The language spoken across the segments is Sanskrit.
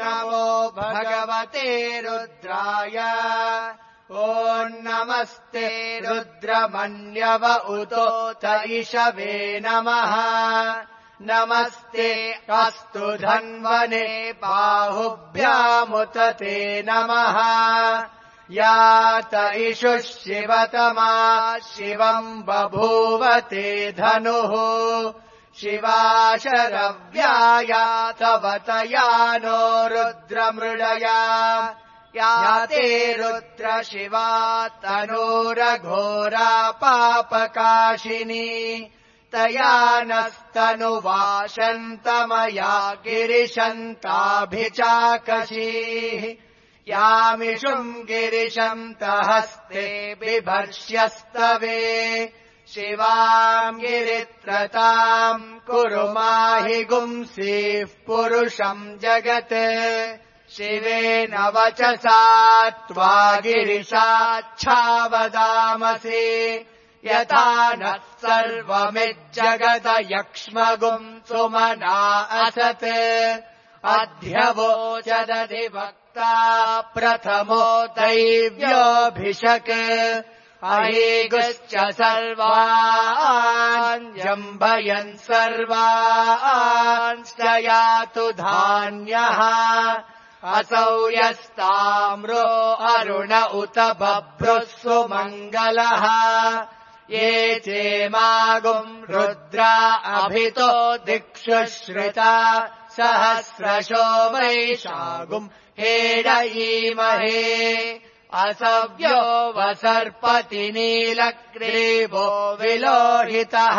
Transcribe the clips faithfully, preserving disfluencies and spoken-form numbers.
नमो भगवते रुद्राय ॐ नमस्ते रुद्रमन्यव उतोत इषवे नमः नमस्ते अस्तु धन्वने बाहुभ्यामुत ते नमः यात इषुः शिवतमा शिवम् बभूवते धनुः शिवाशरव्याया तवतया नो रुद्रमृडया याते रुद्र शिवा तनूरघोरा पापकाशिनी तया नस्तनुवाशन्तमया गिरिशन्ताभिचाकशीः यामिषुम् गिरिशन्तहस्ते बिभर्ष्यस्तवे शिवाम् गिरित्रताम् कुरु माहि गुंसीः पुरुषम् जगत् शिवेन वचसा त्वा गिरिशाच्छावदामसि यथा नः सर्वमिज्जगत यक्ष्मगुम् सुमना असत् अध्यवोचदधिवक्ता प्रथमो दैव्योऽभिषक् अहेगुश्च सर्वान् जम्भयन् सर्वांश्च यातु धान्यः असौ यस्ताम्रो अरुण उत बभ्रुः सुमङ्गलः ये चेमागुम् रुद्रा अभितो दिक्षु श्रिता सहस्रशो वैशागुम् हेडयीमहे असव्यो वसर्पति नीलग्रीवो विलोहितः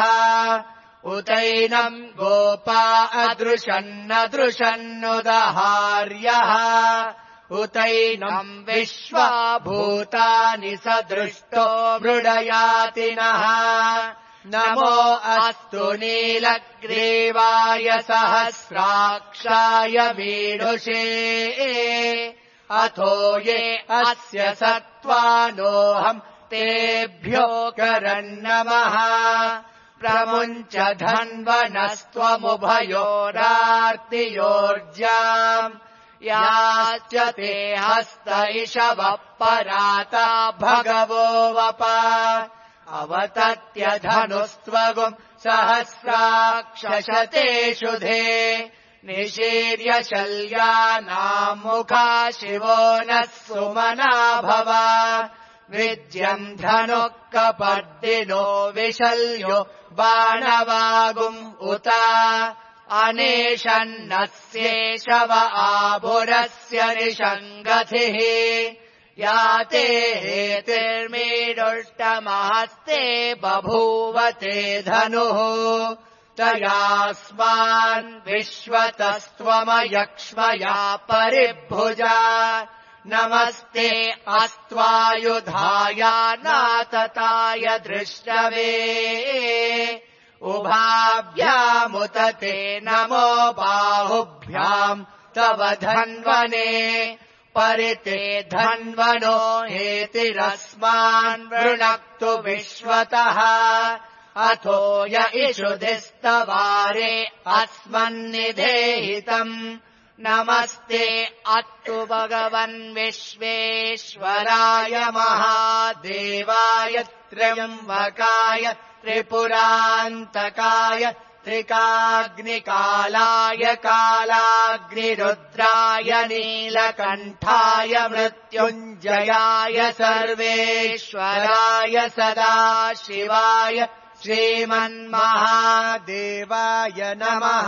उतैनम् गोपा अदृशन्नदृशन्नुदहार्यः उतैनम् विश्वा भूतानि सदृष्टो मृडयातिनः नमो अस्तु नीलग्रीवाय सहस्राक्षाय मीढुषे अथो ये अस्य सत्त्वानोऽहम् तेभ्यो करन्नमः प्रमुञ्च धन्वनस्त्वमुभयोरार्तियोर्जाम् याश्च ते हस्त इषवः पराता भगवो वप अवतत्य धनुस्त्वगुम् सहस्राक्षशतेषु धे निशीर्य शल्यानाम् मुखा शिवो नः सुमना भव विद्यम् धनुः कपर्दिनो विशल्यो बाणवागुम् उत अनेशन्नस्येषव आभुरस्य निषङ्गतिः याते हेतिर्मीडुष्टमहस्ते बभूवते धनुः तयास्मान् विश्वतस्त्वमयक्ष्मया परिभुजा नमस्ते अस्त्वायुधाय नातताय दृष्टवे उभाभ्यामुत ते नमो बाहुभ्याम् तव धन्वने परिते धन्वनो हेतिरस्मान् वृणक्तु विश्वतः अथो य इषुधिस्तवारे अस्मन्निधेहितम् नमस्ते अस्तु भगवन् विश्वेश्वराय महादेवाय त्र्यम्बकाय त्रिपुरान्तकाय त्रिकाग्निकालाय कालाग्निरुद्राय नीलकण्ठाय मृत्युञ्जयाय सर्वेश्वराय सदाशिवाय श्रीमन्महादेवाय नमः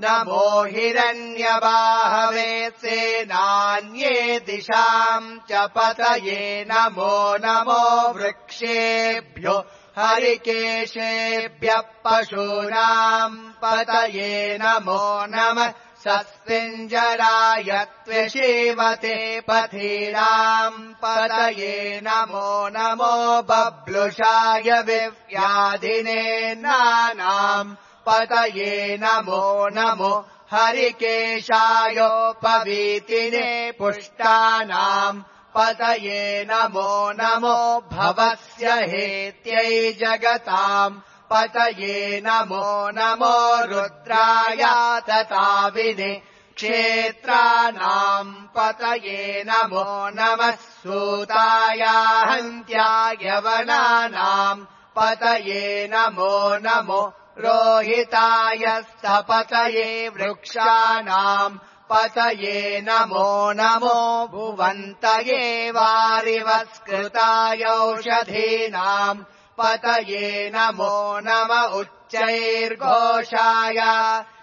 नमो हिरण्यबाहवे सेनान्ये दिशाम् च पतये नमो नमो वृक्षेभ्यो हरिकेशेभ्यः पशूनाम् पतये नमो नमः सस्तिञ्जराय त्विषीमते पथीनाम् पतये नमो नमो बब्लुषाय विव्याधिने नानाम् पतये नमो नमो हरिकेशायोपवीतिने पुष्टानाम् पतये नमो नमो भवस्य हेत्यै जगताम् पतये नमो नमो रुद्राय तताविने क्षेत्राणाम् पतये नमो नमः सूतायाहन्त्यायवनानाम् पतये नमो नमो रोहिताय स्थपतये वृक्षाणाम् पतये नमो नमो भुवन्तये वारिवस्कृताय औषधीनाम् पतये नमो नम उच्चैर्घोषाय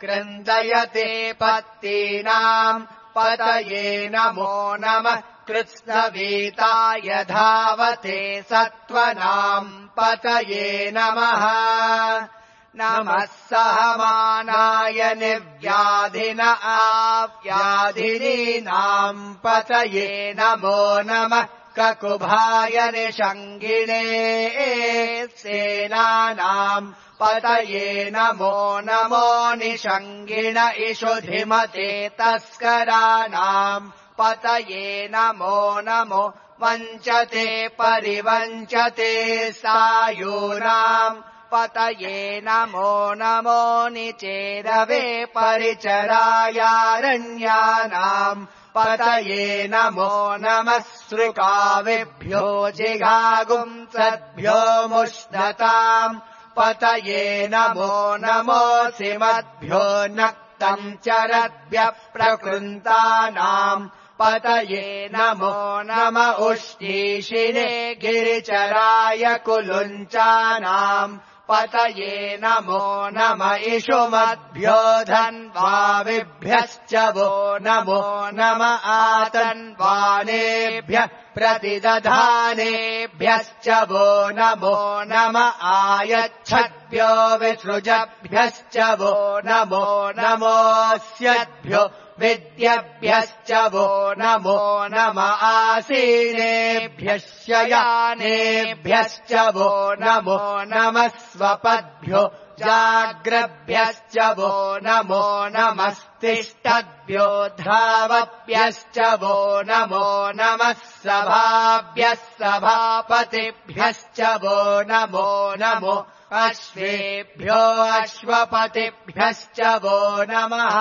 क्रन्दयते पत्तीनाम् पतये नमो नमः कृत्स्नवीताय धावते सत्त्वनाम् पतये नमः नमः सहमानाय निर्व्याधिन आव्याधिनीनाम् पतये नमो नमः ककुभाय निषङ्गिणे सेनानाम् पतये नमो नमो निषङ्गिण इषुधिमते तस्कराणाम् पतये नमो नमो वञ्चते परिवञ्चते सायूनाम् पतये नमो नमो निचेरवे परिचरायारण्यानाम् पतये नमो नमः सृकाविभ्यो जिघागुंसद्भ्यो मुष्णताम् पतये नमो नमोऽसिमद्भ्यो नक्तम् चरद्भ्यः प्रकृन्तानाम् पतये नमो नम उष्णीषिणे गिरिचराय कुलुञ्चानाम् पतये नमो नम इषुमद्भ्यो धन्वाविभ्यश्च वो नमो नम आतन्वानेभ्यः प्रतिदधानेभ्यश्च वो नमो नम आयच्छद्भ्यो विसृजभ्यश्च वो नमो नमोऽस्यद्भ्यो विद्यभ्यश्च वो नमो नम आसीनेभ्यः शयानेभ्यश्च वो नमो नमः स्वपद्भ्यो जाग्रभ्यश्च वो नमो नमस्तिष्ठद्भ्यो धावभ्यश्च वो नमो नमः सभाभ्यः सभापतिभ्यश्च वो नमो नमो अश्वेभ्यो अश्वपतिभ्यश्च वो नमः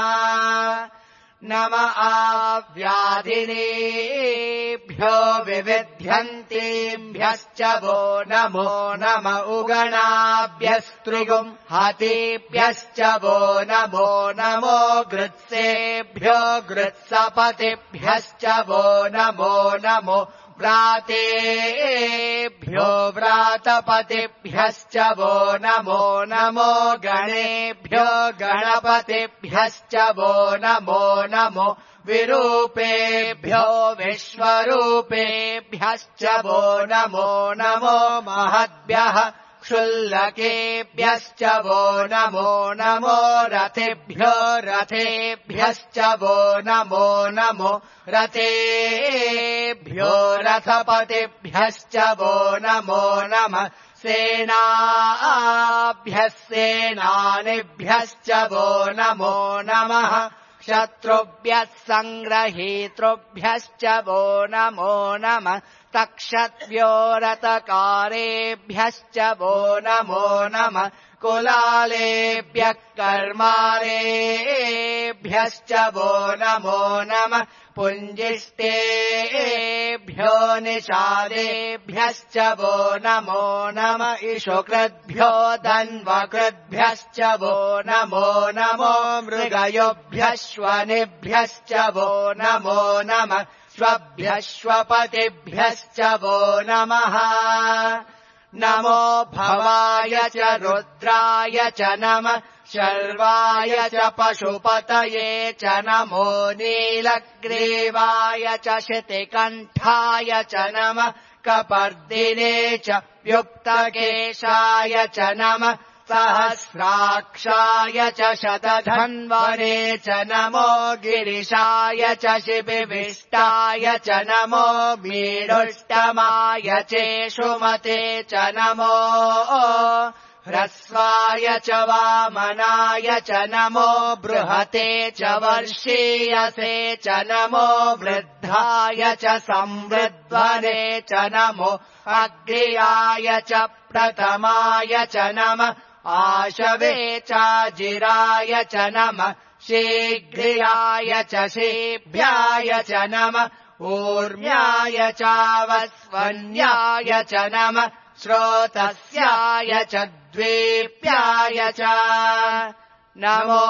नम आव्याधिनेभ्यो विविध्यन्तीभ्यश्च वो नमो नम उगणाभ्यस्त्रिगुम् हतेभ्यश्च वो नमो नमो गृत्सेभ्यो गृत्सपतिभ्यश्च वो नमो नमो व्रातेभ्यो व्रातपतिभ्यश्च वो नमो नमो गणेभ्यो गणपतिभ्यश्च वो नमो नमो विरूपेभ्यो विश्वरूपेभ्यश्च वो नमो नमो महद्भ्यः क्षुल्लकेभ्यश्च वो नमो नमो रथेभ्यो रथेभ्यश्च वो नमो नमो रथेभ्यो रथपतिभ्यश्च वो नमो नमः सेनाभ्यः सेनानिभ्यश्च वो नमो नमः शत्रुभ्यः सङ्ग्रहीतृभ्यश्च वो नमो नमः तक्षत्भ्यो रतकारेभ्यश्च वो नमो नमः कुलालेभ्यः कर्मारेभ्यश्च वो नमो नमः पुञ्जिष्टेभ्यो निषादेभ्यश्च वो नमो नमः इषुकृद्भ्यो धन्वकृद्भ्यश्च वो नमो नमो मृगयोभ्यश्वनिभ्यश्च वो नमो नमः स्वभ्यश्वपतिभ्यश्च वो नमः नमो भवाय च रुद्राय च नमः शर्वाय च पशुपतये च नमो नीलग्रीवाय च शितिकण्ठाय च नमः कपर्दिने च युक्तकेशाय च नमः सहस्राक्षाय च शतधन्वने च नमो गिरिशाय च शिबिविष्टाय च नमो मीडुष्टमाय चेषुमते च नमो ह्रस्वाय च वामनाय च नमो बृहते च वर्षीयसे च नमो वृद्धाय च संवृद्ध्वने च नमो अग्र्याय च प्रथमाय च नमः आशवे चाजिराय च नमः शीघ्रियाय च शीभ्याय च नमः ऊर्म्याय चावस्वन्याय च नमः श्रोतस्याय च द्वीप्याय च नमो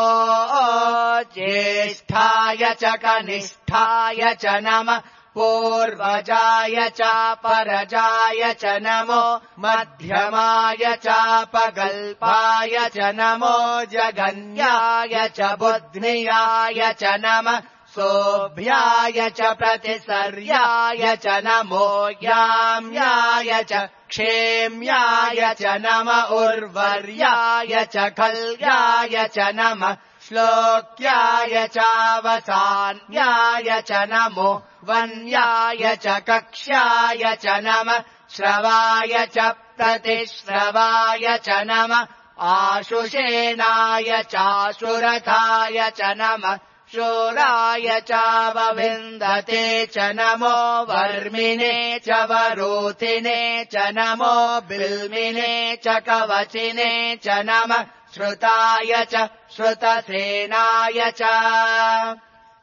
ज्येष्ठाय च कनिष्ठाय च नमः पूर्वजाय चापरजाय च नमो मध्यमाय चापगल्पाय च नमो जगन्याय च बुध्नियाय च नमः सोऽभ्याय च प्रतिसर्याय च नमो याम्याय च क्षेम्याय च नम उर्वर्याय च खल्याय च नमः श्लोक्याय चावसान्याय च नमो वन्याय च कक्ष्याय च नमः श्रवाय च प्रतिश्रवाय च नमः आशुषेणाय चाशुरथाय च नमः शूराय चावविन्दते च नमो वर्मिने च वरोतिने च नमो बिल्मिने च कवचिने च नमः श्रुताय च श्रुतसेनाय च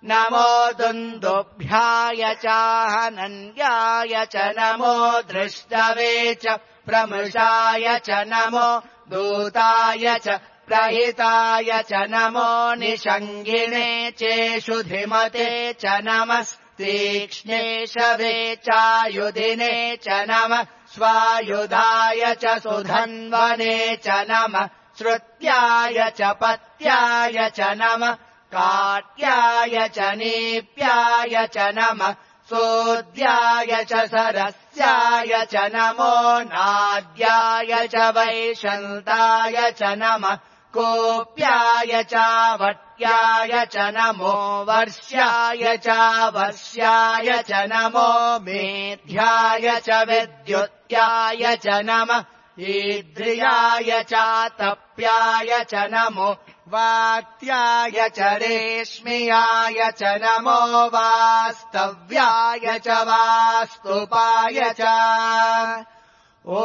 नमो दुन्दुभ्याय चाहनन्याय च नमो दृष्टवे च प्रमृषाय च नमो दूताय च प्रहिताय च नमो निषङ्गिणे चेषुधिमते च नमस्तीक्ष्णे शवे चायुधिने च नमः स्वायुधाय च सुधन्वने च नमः श्रुत्याय च पत्याय च नमः काट्याय च नीप्याय च नमः सोद्याय च सरस्याय च नमो नाद्याय च वैशन्ताय च नमः कोप्याय चावट्याय च नमो वर्ष्याय चावर्ष्याय च नमो मेध्याय च विद्युत्याय च नमः ईद्रियाय चातप्याय च नमो वात्याय च रेश्मियाय च नमो वास्तव्याय च वास्तुपाय च ॐ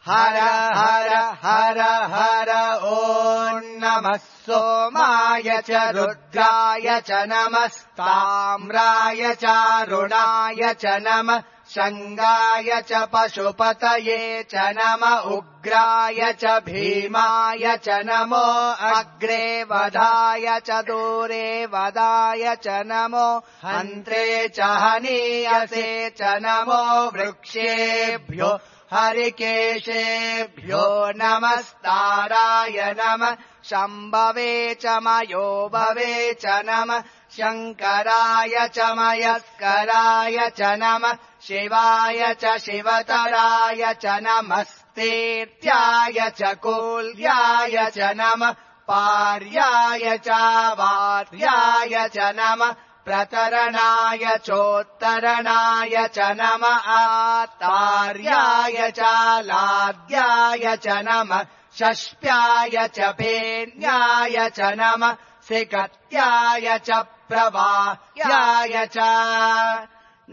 हर हर हर हर ॐ नमः सोमाय च रुद्राय च नमस्ताम्राय चारुणाय च नमः शङ्गाय च पशुपतये च नम उग्राय च भीमाय च नमो अग्रे वधाय च दूरे वदाय च नमो हन्त्रे च हनीयसे च नमो वृक्षेभ्यो हरिकेशेभ्यो नमस्ताराय नमः शम्भवे च मयोभवे च नमः शङ्कराय च मयस्कराय च नमः शिवाय च शिवतराय च नमस्तेत्याय च कूल्याय च नमः पार्याय च वार्याय च नमः प्रतरणाय चोत्तरणाय च नमः आतार्याय च लाद्याय च नमः षष्प्याय च पेन्याय च नमः सिकत्याय च प्रवाह्याय च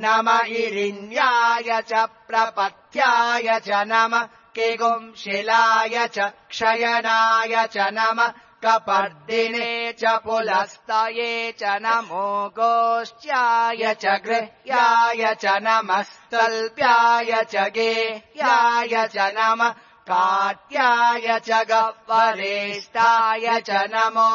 नम इरिण्याय च प्रपथ्याय च नमः किगुंशिलाय च क्षयनाय च नमः कपर्दिने च पुलस्तये च नमो गोष्ट्याय च गृह्याय च नमस्तल्प्याय च गेह्याय च नमः काट्याय च गह्वरेष्ठाय च नमो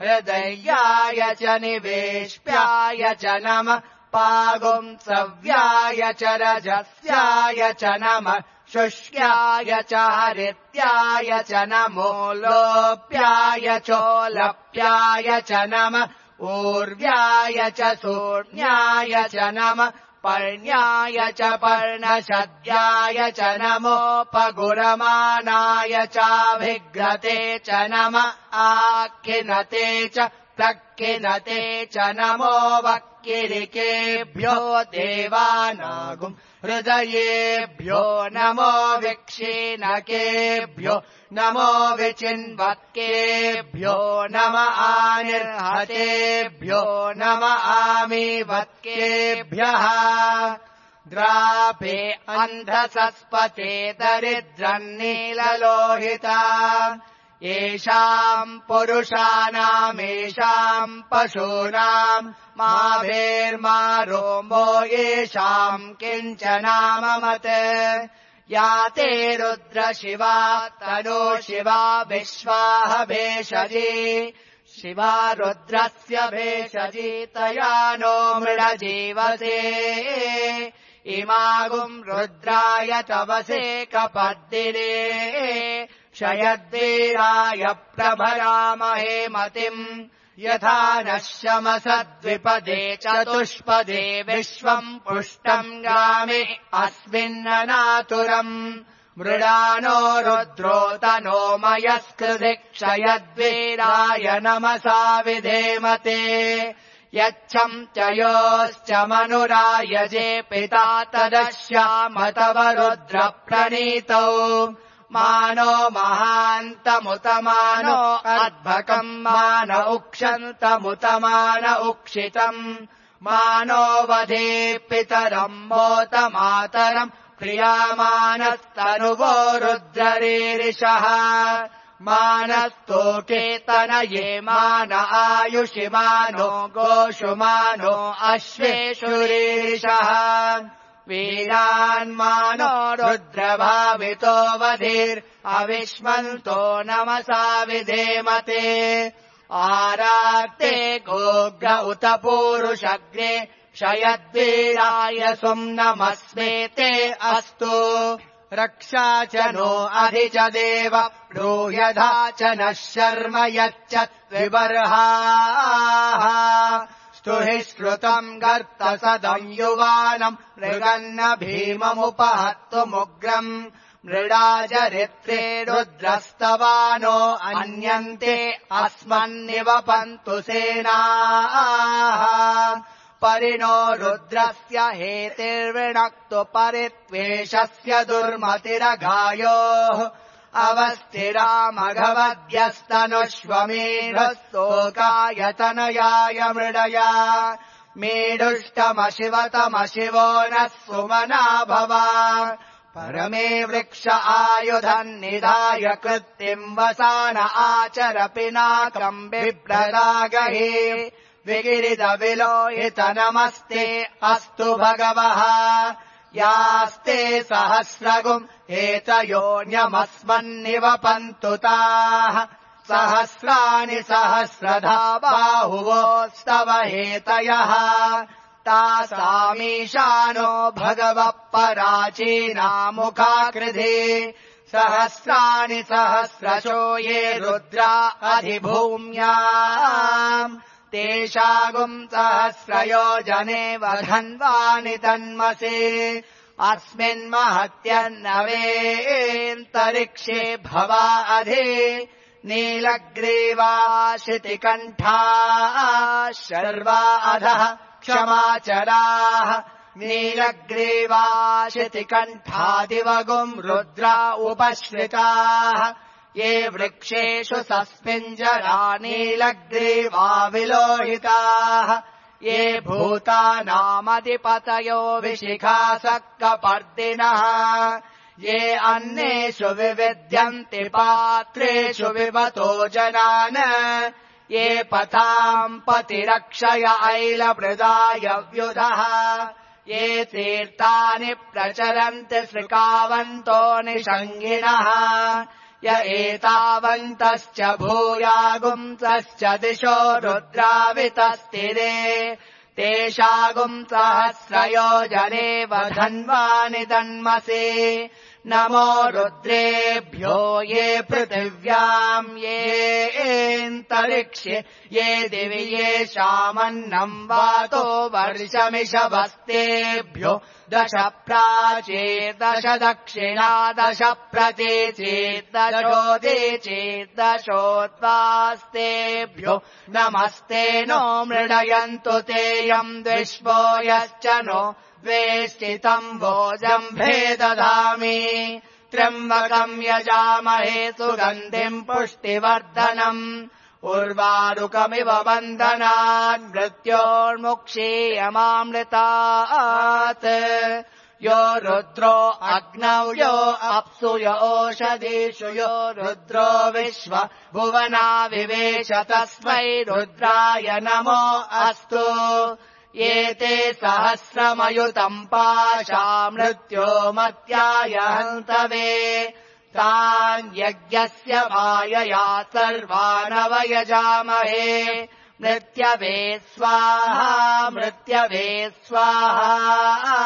हृदयाय च निवेश्याय च नमः पागुंसव्याय च रजस्याय च नमः शुष्याय च हरित्याय च नमो लोप्याय चोलप्याय च नमः ऊर्व्याय च शून्याय च नमः पर्ण्याय च पर्णशद्याय च नमोपगुरमाणाय चाभिघ्रते च नमः आक्खिनते च प्रक्खिनते च नमो वक्किरिकेभ्यो देवानागुम् हृदयेभ्यो नमो विक्षीणकेभ्यो नमो विचिन्वत्केभ्यो नम आनिर्हतेभ्यो नम आमीवत्केभ्यः द्रापे अन्धसस्पते दरिद्रन्नीललोहिता येषाम् पुरुषाणामेषाम् पशूनाम् मा भेर्मा रोमो येषाम् किञ्चनाममत् या ते रुद्र शिवा तनो शिवा विश्वाह भेषजी शिवा रुद्रस्य भेषजी तया नो मृडजीवसे इमागुम् रुद्राय तवसे कपद्दिने शयद्वीराय प्रभरामहे मतिम् यथा नः शमसद्विपदे चतुष्पदे विश्वम् पुष्टम् गामे अस्मिन्ननातुरम् मृडानो रुद्रोतनो मयस्कृधि क्षयद्वीराय नमसा विधेमते यच्छम् च योश्च मनुरायजे पिता तदश्याम तव रुद्रप्रणीतौ मानो महान्तमुतमानो अद्भकम् मान उक्षन्तमुतमान उक्षितम् मानो वधे पितरम् मोत मातरम् प्रियामानस्तनुवो रुद्ररीरिषः मानस्तोकेतनये मान आयुषि मानो गोषु मानो अश्वेषुरीरिषः वीरान्मानो रुद्रभावितो वधीर् अविष्मन्तो नमसा विधेमते आराक्ते गोग्र उत पूरुषग्रे शयद्वीराय सुम्नमस्मेते अस्तु रक्षा च नो अधि च देव ब्रूयधा च नः शर्म यच्च विबर्हाः स्तुहि श्रुतम् गर्तसदम् युवानम् मृगन्न भीममुपहत्तुमुग्रम् मृडाजरित्रे रुद्रस्तवानो अन्यन्ते अस्मन्निवपन्तु सेनाः परिणो रुद्रस्य हेतिर्विणक्तु परित्वेषस्य दुर्मतिरघायोः अवस्थिरामघवद्यस्तनुष्वमेढस्तोकायतनयाय मृडया मेढुष्टमशिवतमशिवो नः सुमना भवा परमे वृक्ष आयुधम् निधाय कृत्तिम् वसान आचर पिनाकम् बिभ्रदागहे विगिरिदविलोहित नमस्ते अस्तु भगवः यास्ते सहस्रगुम् एतयोऽन्यमस्मन्निवपन्तु ताः सहस्राणि सहस्रधा बाहुवोस्तव हेतयः तासामीशानो भगवः पराचीनामुखाकृधि सहस्राणि सहस्रशो ये रुद्रा अधिभूम्याम् तेषागुम् सहस्रयोजने वधन्वानि तन्मसे अस्मिन्महत्यन्नवेऽन्तरिक्षे भवा अधि नीलग्रीवा शितिकण्ठाः शर्वा अधः क्षमाचराः नीलग्रीवा शितिकण्ठादिवगुम् रुद्रा उपश्रिताः ये वृक्षेषु सस्मिञ्जरा नीलग्रीवा विलोहिताः ये भूतानामधिपतयो विशिखासक्कपर्दिनः ये अन्नेषु विविध्यन्ति पात्रेषु विवतो जनान् ये पथाम् पतिरक्षय ऐलमृदाय व्युधः ये तीर्थानि प्रचरन्ति श्रिकावन्तो निषङ्गिणः य एतावन्तश्च भूयागुंसश्च दिशो रुद्रावितस्तिरे तेषागुम् सहस्रयोजने वधन्वानि तन्मसे नमो रुद्रेभ्यो ये पृथिव्याम् येऽन्तरिक्षे ये दिवि येषामन्नम् वातो वर्षमिषवस्तेभ्यो दश प्राचेदश दक्षिणा दश प्रतीचेदशोदीचेदशोद्वास्तेभ्यो नमस्ते नो मृडयन्तु तेयम् द्विष्वो यश्च नो वेष्टितम् भोजम्भे दधामि त्र्यम्बकम् यजामहे सुगन्धिम् पुष्टिवर्धनम् उर्वारुकमिव बन्धनान् मृत्योर्मुक्षीयमामृतात् यो रुद्रो अग्नौ यो अप्सु यो ओषधीषु यो रुद्रो विश्व भुवना विवेश तस्मै रुद्राय नमो अस्तु एते सहस्रमयुतम् पाशा मृत्यो मत्याय हन्तवे तान् यज्ञस्य मायया सर्वानवयजामहे मृत्यवे स्वाहा मृत्यवे स्वाहा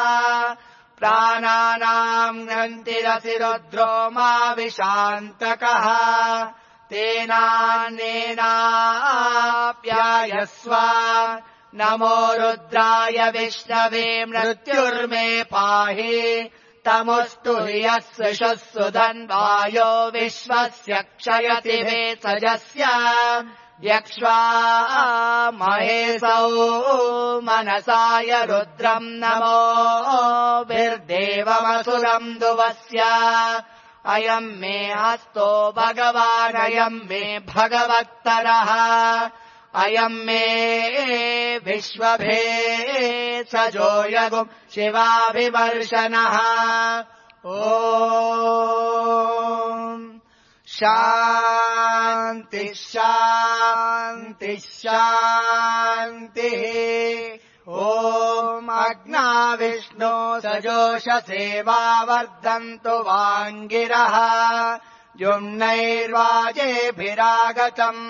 प्राणानाम् नन्तिरसि रुद्रो मा विशान्तकः तेनान्नेनाप्यायस्व नमो रुद्राय विष्णवे मृत्युर्मे पाहि तमुस्तु हि यस्विषः सुधन्वायो विश्वस्य क्षयति भेषजस्य यक्ष्वा महेशौ मनसाय रुद्रम् नमो विर्देवमसुरम् दुवस्य अयम् मे हस्तो भगवानयम् मे भगवत्तरः अयम् मे विश्वभेषजो यगुम् शिवाभिवर्षणः ॐ शान्ति शान्ति शान्तिः ॐ अग्ना विष्णो सजोषसेवा वर्धन्तु वाङ्गिरः युम्नैर्वाजेभिरागतम्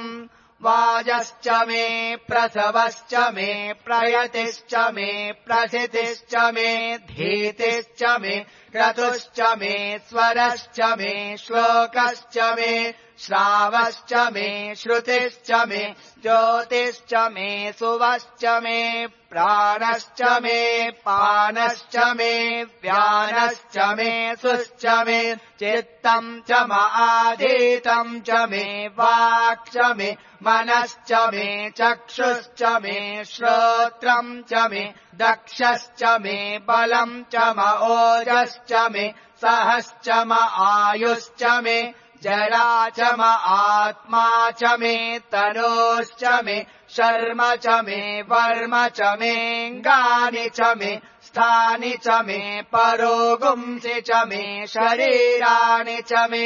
वाजश्च मे प्रसवश्च मे प्रयतिश्च मे प्रसितिश्च मे धीतिश्च मे क्रतुश्च मे स्वरश्च मे श्लोकश्च मे श्रावश्च मे श्रुतिश्च मे ज्योतिश्च मे सुवश्च मे प्राणश्च मे पानश्च मे व्यानश्च मे सुश्च मे चित्तम् च माधीतम् च मे वाक् च मे मनश्च मे चक्षुश्च मे श्रोत्रम् च मे दक्षश्च मे बलम् च म ओजश्च मे सहश्च म आयुश्च मे जरा च म आत्मा च मे तनोश्च मे शर्म च मे वर्म च मेऽङ्गानि च मे स्थानि च मे परोगुंसि च मे शरीराणि च मे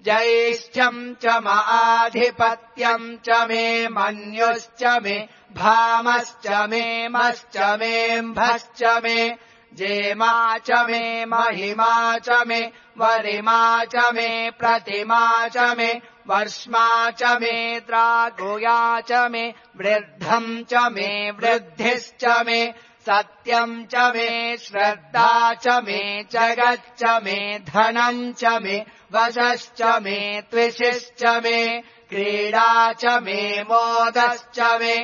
ज्यैष्ठ्यम् च म आधिपत्यम् च मे मन्युश्च मे भामश्च मे मश्च मेऽम्भश्च मे जेमा च मे महिमा च मे वरिमा च मे प्रतिमा च मे वर्ष्मा च मे द्रागुया च मे वृद्धम् च मे वृद्धिश्च मे सत्यम् च मे श्रद्धा च मे जगच्च मे धनम् च मे वशश्च मे त्विषिश्च मे क्रीडा च मे मोदश्च मे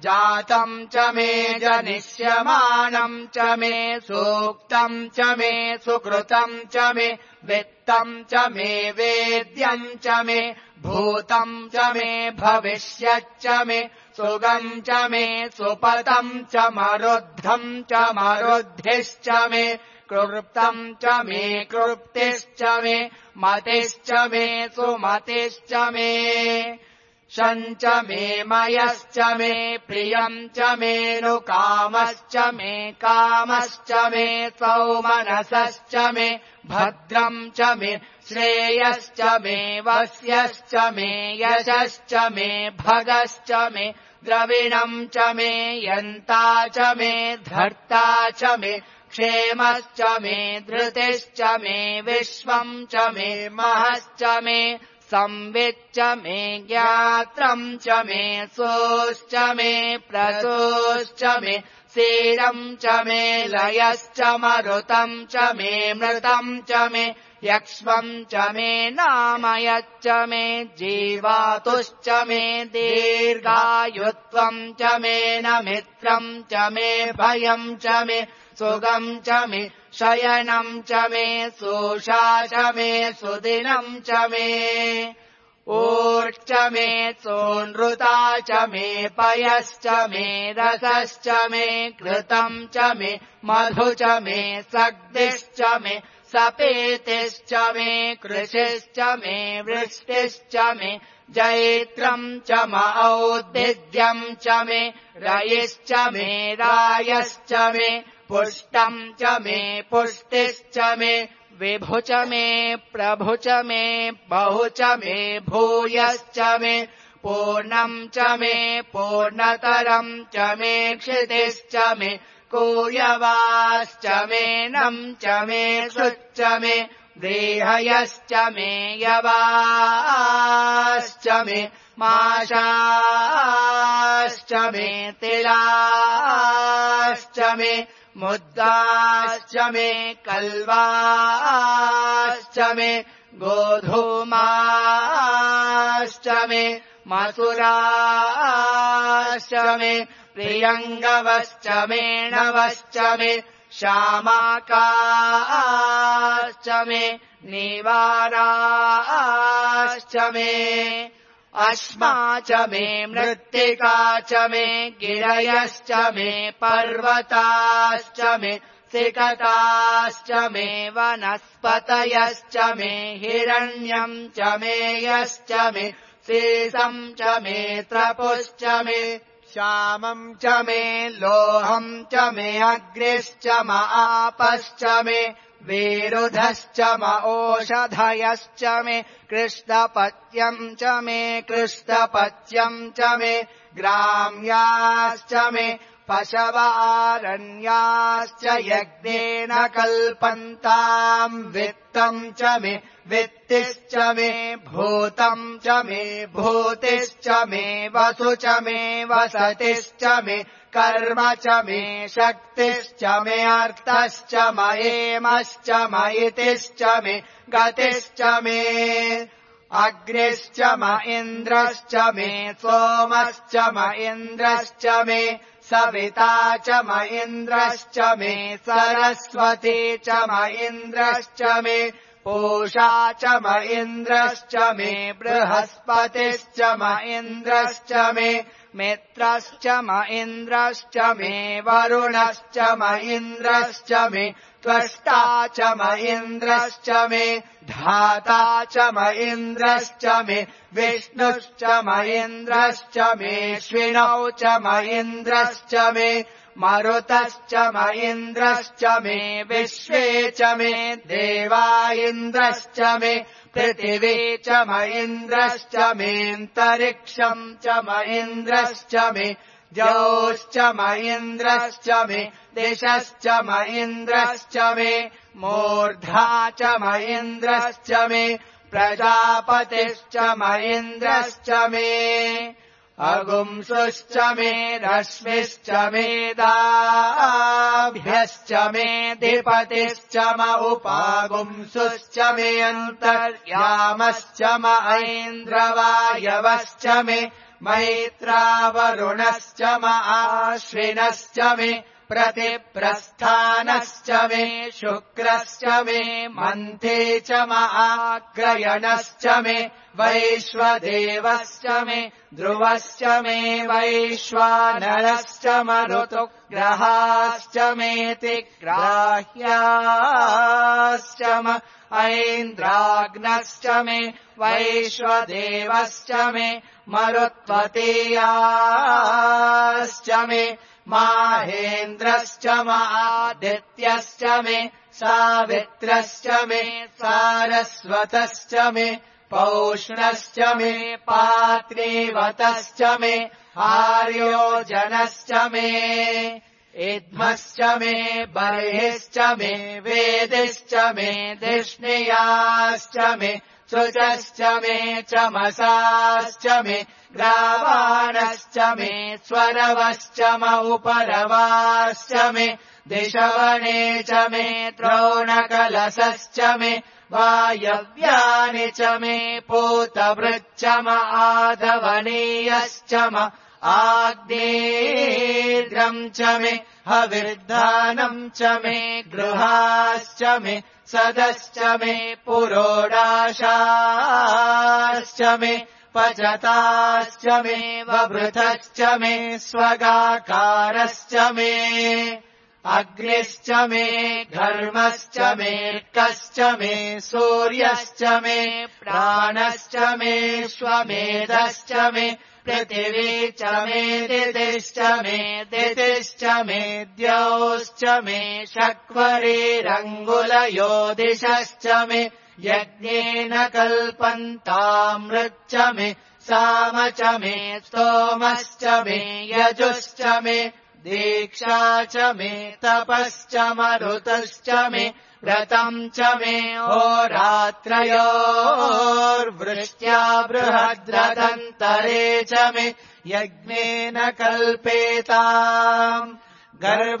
जातम् च मे जनिष्यमानम् च मे सूक्तम् च मे सुकृतम् च मे वित्तम् च मे वेद्यम् च मे भूतम् च मे भविष्यच्च मे सुगम् च मे सुपतम् च मरुद्धम् च मरुद्धिश्च मे कृप्तम् च मे कृप्तिश्च मे मतिश्च मे सुमतिश्च मे शञ्च मे मयश्च मे प्रियम् च मेऽनुकामश्च मे कामश्च मे सौमनसश्च मे भद्रम् च मे श्रेयश्च मे वस्यश्च मे यशश्च मे भगश्च मे द्रविणम् च मे यन्ता च मे धर्ता च मे क्षेमश्च मे धृतिश्च मे विश्वम् च मे महश्च मे संविच्च मे ज्ञात्रम् च मे सोश्च मे प्रसोश्च मे सीरम् च मे लयश्च मरुतम् च मे मृतम् च मे यक्ष्मम् च मे नामयच्च मे जीवातुश्च मे दीर्घायुत्वम् च मे नमित्रम् च मे भयम् च मे सुगम् च मे शयनम् च मे सोषा च मे सुदिनम् च मे ऊर्च मे सोनृता च मे पयश्च मे रसश्च मे घृतम् च मे मधु च मे सग्दिश्च मे सपेतिश्च मे कृशिश्च मे वृष्टिश्च मे जैत्रम् च म औद्भिद्यम् च मे रयिश्च मे रायश्च मे पुष्टम् च मे पुष्टिश्च मे विभु च मे प्रभु च मे बहु च मे भूयश्च मे पूर्णम् च मे पूर्णतरम् च मे क्षितिश्च मे कूयवाश्च मे नम् च मे सुच्च मे देहयश्च मे यवाश्च मे माशाश्च मे तिलाश्च मे मुद्गाश्च मे कल्वाश्च मे गोधूमाश्च मे मसुराश्च मे प्रियङ्गवश्च मे नवश्च मे श्यामाकाश्च मे निवाराश्च मे अश्मा च मे मृत्तिका च मे गिरयश्च मे पर्वताश्च मे सिकताश्च मे वनस्पतयश्च मे हिरण्यम् च मे यश्च मे शेषम् च मे त्रपुश्च मे श्यामम् च मे लोहम् च मे अग्निश्च म आपश्च मे वेरुधश्च म ओषधयश्च मे कृष्णपत्यम् च मे कृष्णपत्यम् च मे ग्राम्याश्च मे पशवारण्याश्च यज्ञेन कल्पन्ताम् वित्तम् च मे वित्तिश्च मे भूतम् च मे भूतिश्च मे वसु च मे वसतिश्च मे कर्म च मे शक्तिश्च मे अर्थश्च मयेमश्च मयितिश्च मे गतिश्च मे अग्निश्च म इन्द्रश्च मे सोमश्च म इन्द्रश्च मे सविता च म इन्द्रश्च मे सरस्वती च म इन्द्रश्च मे पूषा च म इन्द्रश्च मे बृहस्पतिश्च म इन्द्रश्च मे मित्रश्च म इन्द्रश्च मे वरुणश्च म इन्द्रश्च मे त्वष्टा च म इन्द्रश्च मे धाता च म इन्द्रश्च मे विष्णुश्च म इन्द्रश्च मे श्विनौ च म इन्द्रश्च मे मरुतश्च म इन्द्रश्च मे विश्वे च मे देवा इन्द्रश्च मे पृथिवी च म इन्द्रश्च मेऽन्तरिक्षम् च म इन्द्रश्च मे द्यौश्च म इन्द्रश्च मे दिशश्च म इन्द्रश्च मे मूर्धा च म इन्द्रश्च मे प्रजापतिश्च म इन्द्रश्च मे अगुंसुश्च मे रश्मिश्च मे दाभ्यश्च मे धिपतिश्च म उपागुंसुश्च मे अन्तर्यामश्च म ऐन्द्रवायवश्च मे मैत्रावरुणश्च म आश्विनश्च मे प्रतिप्रस्थानश्च मे शुक्रश्च मे मन्थे च म आग्रयणश्च मे वैश्वदेवश्च मे ध्रुवश्च मे वैश्वानरश्च म ऋतुग्रहाश्च मेति ग्राह्याश्च म ऐन्द्राग्नश्च मे वैश्वदेवश्च मे मरुत्वतीयाश्च मे माहेन्द्रश्च म आदित्यश्च मे सावित्रश्च मे सारस्वतश्च मे पौष्णश्च मे पात्रीवतश्च मे आर्योजनश्च मे इद्मश्च मे बर्हिश्च मे वेदिश्च मे धिष्णियाश्च मे शुचश्च मे चमसाश्च मे ग्रावाणश्च मे स्वरवश्च म उपरवाश्च मे दिशवने च मे द्रोणकलशश्च मे वायव्यानि च मे पूतभृच्च म आधवनीयश्च म आग्नेयम् च मे हविर्धानम् च मे गृहाश्च मे सदश्च मे पुरोडाशाश्च मे पचताश्च मे वभृतश्च मे स्वगाकारश्च मे अग्निश्च मे घर्मश्च मेऽर्कश्च मे सूर्यश्च मे प्राणश्च मे श्वमेधश्च मे पृथिवी च मे दितिश्च मे दितिश्च मे द्यौश्च मे शक्वरीरङ्गुलयो दिशश्च मे यज्ञेन कल्पन्तामृच्च मे साम च मे स्तोमश्च मे यजुश्च मे दीक्षा च मे तपश्च मरुतश्च मे व्रतम् च मे होरात्रयोर्वृष्ट्या बृहद्रदन्तरे च मे यज्ञेन कल्पेताम् गर्भाश्च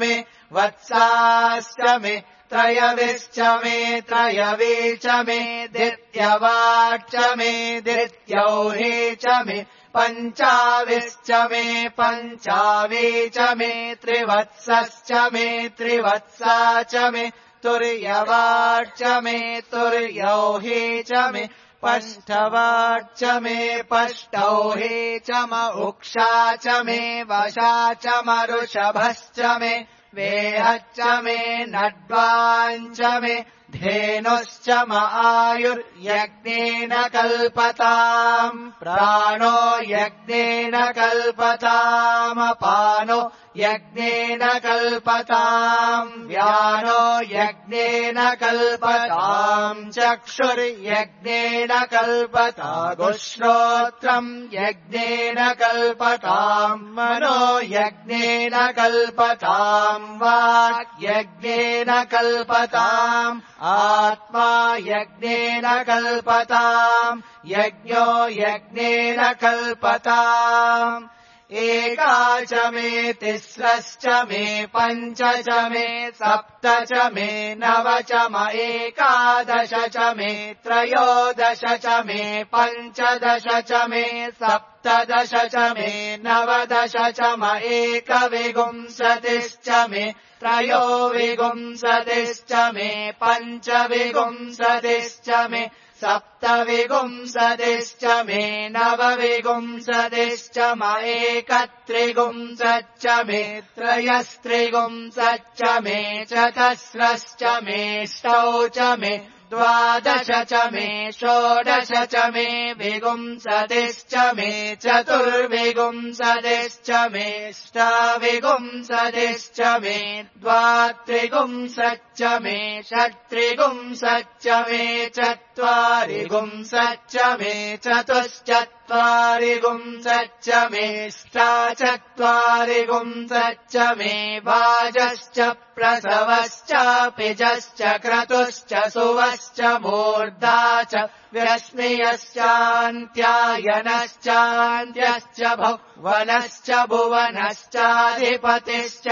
मे वत्साश्च मे त्रयविश्च मे त्रयवी च मे दित्यवाक्च मे दित्यौहे च मे पञ्चाविश्च मे पञ्चावी च मे त्रिवत्सश्च मे त्रिवत्सा च मे तुर्यवाक्च मे तुर्यौहे च मे पष्टवाक्च मे पष्टौहे च म उक्षा च मे वशा च मरुषभश्च मे वेहच्च मे नड्वाञ्च मे धेनुश्च म आयुर्यज्ञेन कल्पताम् प्राणो यज्ञेन कल्पतामपानो यज्ञेन कल्पताम् व्यानो यज्ञेन कल्पताम् चक्षुर्यज्ञेन कल्पतागुश्रोत्रम् यज्ञेन कल्पताम् मनो यज्ञेन कल्पताम् वाक् यज्ञेन कल्पताम् आत्मा यज्ञेन कल्पताम् यज्ञो यज्ञेन कल्पताम् एका च मे तिस्रश्च मे पञ्च च मे सप्त च मे नव च म एकादश च मे त्रयोदश च मे पञ्चदश च मे सप्तदश च मे नवदश च म एकविंशतिश्च मे त्रयोविंशतिश्च मे पञ्चविंशतिश्च मे सप्तविंशतिश्च मे नवविंशतिश्च म एकत्रिंशच्च मे त्रयस्त्रिंशच्च मे चतस्रश्च मेष्टौ च मे द्वादश च मे षोडश च मे विंशतिश्च मे चतुर्विंशतिश्च मेष्टाविंशतिश्च मे द्वात्रिंशच्च मे षट्त्रिंशच्च मे चत्वारिंशच्च मे चतुश्चत्वारिंशच्च मेष्टाचत्वारिंशच्च मे वाजश्च प्रसवश्च पिजश्च क्रतुश्च सुवश्च मूर्धा च व्यश्नियश्चान्त्यायनश्चान्त्यश्च भुवनश्च भुवनश्चाधिपतिश्च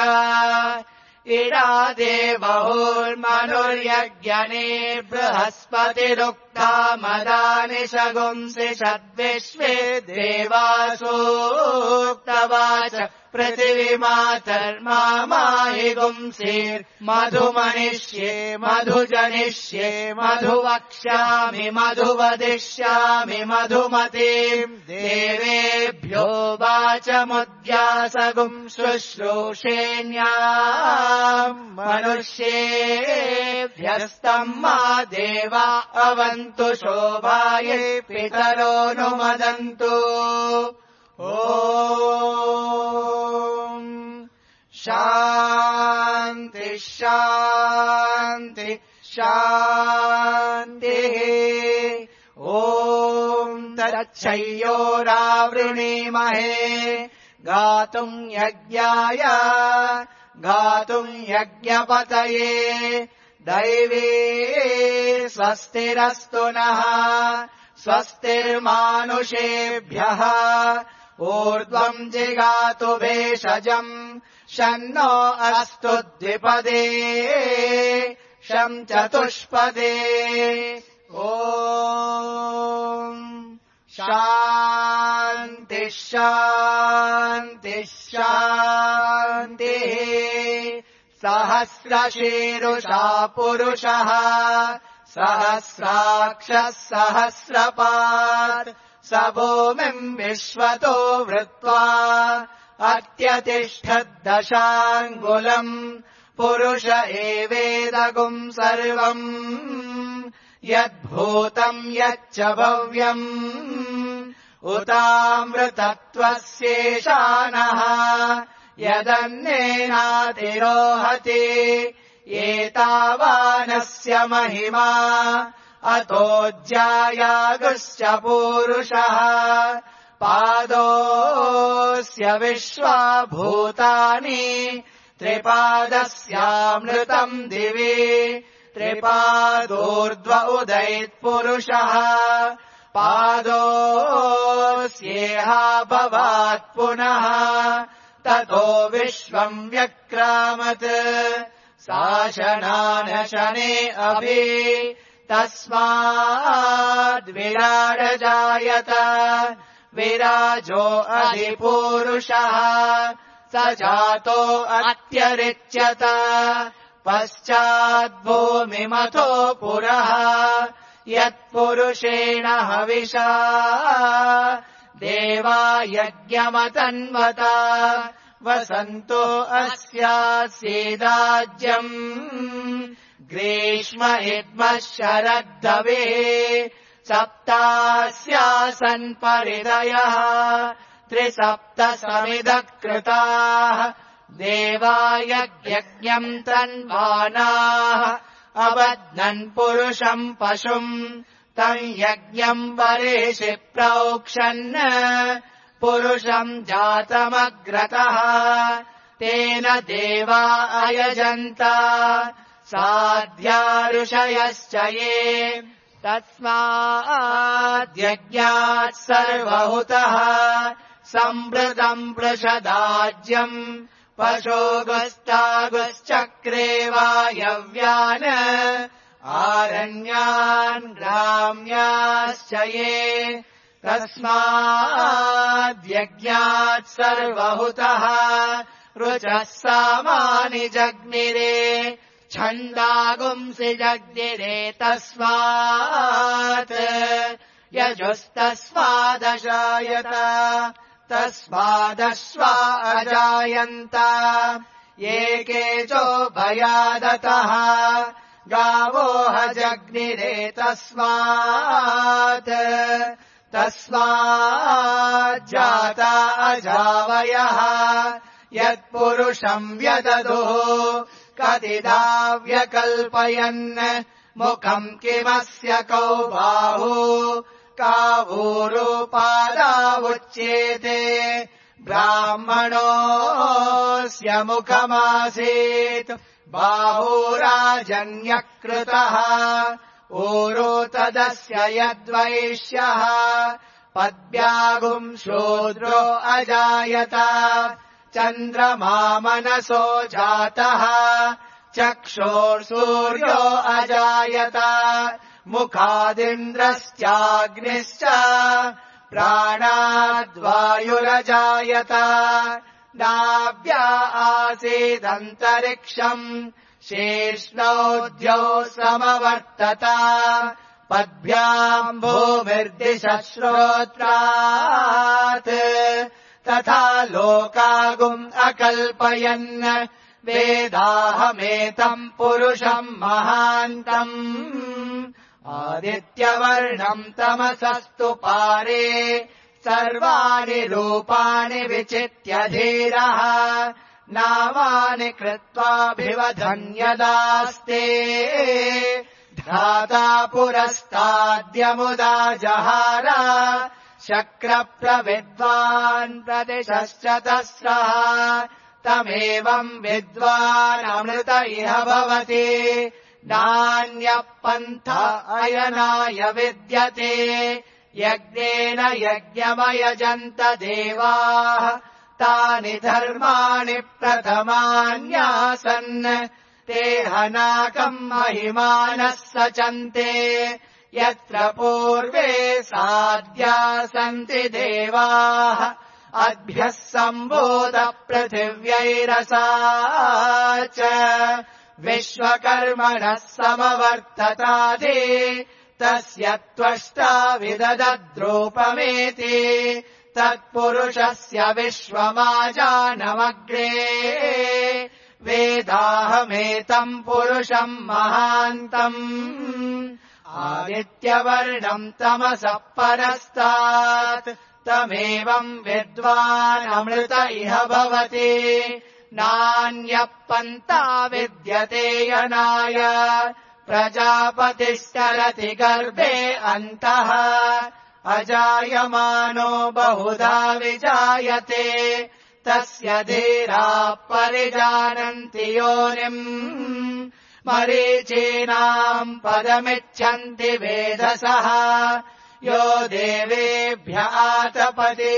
इडादेवहुर्मनुर्यज्ञने बृहस्पतिरुक्ता मदानि शगुंसि षद्विश्वे देवासूक्तवाच पृथिवीमातर्माहि गुंसीर्मधुमनिष्ये मधुजनिष्ये मधुवक्ष्यामि मधुवदिष्यामि मधुमतीम् देवेभ्यो वाचमुद्यासगुं शुश्रूषेण्याम् मनुष्येभ्यस्तम् मा देवा अवन्तु शोभायै पितरो नुमदन्तु ओम शान्ति शान्ति शान्तिः ओम तच्छयोरावृणीमहे गातुम् यज्ञाय गातुम् यज्ञपतये दैवी स्वस्तिरस्तु नः स्वस्तिर्मानुषेभ्यः ऊर्ध्वम् जिगातु भेषजम् शन्नो अस्तु द्विपदे शम् चतुष्पदे ओम शान्ति शान्ति शान्तिः सहस्रशीरुषा पुरुषः सहस्राक्षः सहस्रपात् स भूमिम् विश्वतो वृत्वा अत्यतिष्ठद्दशाङ्गुलम् पुरुष एवेदगुम् सर्वम् यद्भूतम् यच्च भव्यम् उतामृतत्वस्येषानः यदन्नेनातिरोहति एतावानस्य महिमा अतोऽज्यायागुश्च पूरुषः पादोऽस्य विश्वाभूतानि त्रिपादस्यामृतम् दिवि त्रिपादोर्ध्व उदयत्पुरुषः पादोऽस्येहाभवात् पुनः ततो विश्वम् व्यक्रामत् शासनानशने अभि तस्माद्विराडजायत विराजो अधिपूरुषः स जातो अत्यरिच्यत पश्चाद्भूमिमथो पुरः यत्पुरुषेण हविषा देवा यज्ञमतन्वता वसन्तो अस्यास्येदाज्यम् ग्रीष्म इद्मः शरद्धवे सप्तास्यासन् परिदयः त्रिसप्त समिधः कृताः देवा यज्ञम् तन्वानाः अबध्नन् पुरुषम् पशुम् तम् यज्ञम् वरेषि प्रोक्षन् पुरुषम् जातमग्रतः तेन देवा अयजन्त साध्या ऋषयश्च ये तस्माद्यज्ञात् सर्वहुतः सम्भृतम् पृषदाज्यम् पशोगस्तागश्चक्रे वायव्यान् आरण्यान् ग्राम्याश्च ये तस्माद्यज्ञात् सर्वहुतः ऋचः सामानि जग्निरे छन्दागुंसि जग्निरे तस्मात् यजुस्तस्मादजायत तस्मादश्वा अजायन्त ये केचो भयादतः गावो हजग्निरे तस्मात् तस्माज्जाता अजावयः यत्पुरुषम् व्यददुः कतिदा व्यकल्पयन् मुखम् किमस्य कौ बाहु कावूरुपादावुच्येते ब्राह्मणोऽस्य मुखमासीत् बाहुराजन्यकृतः ऊरो तदस्य यद्वैश्यः पद्भ्यागुम् शूद्रो अजायत चन्द्रमा मनसो जातः चक्षुर्सूर्यो अजायत मुखादिन्द्रश्चाग्निश्च प्राणाद्वायुरजायत नाभ्या आसीदन्तरिक्षम् शीर्ष्णौ समवर्तत पद्भ्याम् भूमिर्दिशः श्रोत्रात् तथा लोकागुम् अकल्पयन् वेदाहमेतम् पुरुषम् महान्तम् आदित्यवर्णम् तमसस्तु पारे सर्वाणि रूपाणि विचित्य धीरः नामानि कृत्वाभिवधन्यदास्ते धाता पुरस्ताद्यमुदा जहार शक्रप्रविद्वान् प्रतिशश्च तस्रः तमेवम् विद्वान् अमृत इह भवति नान्यः पन्थ अयनाय विद्यते यज्ञेन यज्ञमयजन्त देवाः तानि धर्माणि प्रथमान्यासन् ते हनाकम् महिमानः सचन्ते यत्र पूर्वे साध्या सन्ति देवाः अद्भ्यः सम्भूत पृथिव्यैरसा च विश्वकर्मणः समवर्ततादि तस्य त्वष्टा विददद्रूपमेति तत्पुरुषस्य विश्वमाजानमग्रे वेदाहमेतम् पुरुषम् महान्तम् आदित्यवर्णम् तमसः परस्तात् तमेवम् विद्वानमृत इह भवति नान्यः पन्था विद्यते यनाय प्रजापतिश्चरति गर्भे अन्तः अजायमानो बहुधा विजायते तस्य धीराः परिजानन्ति योनिम् मरीचीनाम् पदमिच्छन्ति वेधसः यो देवेभ्य आतपति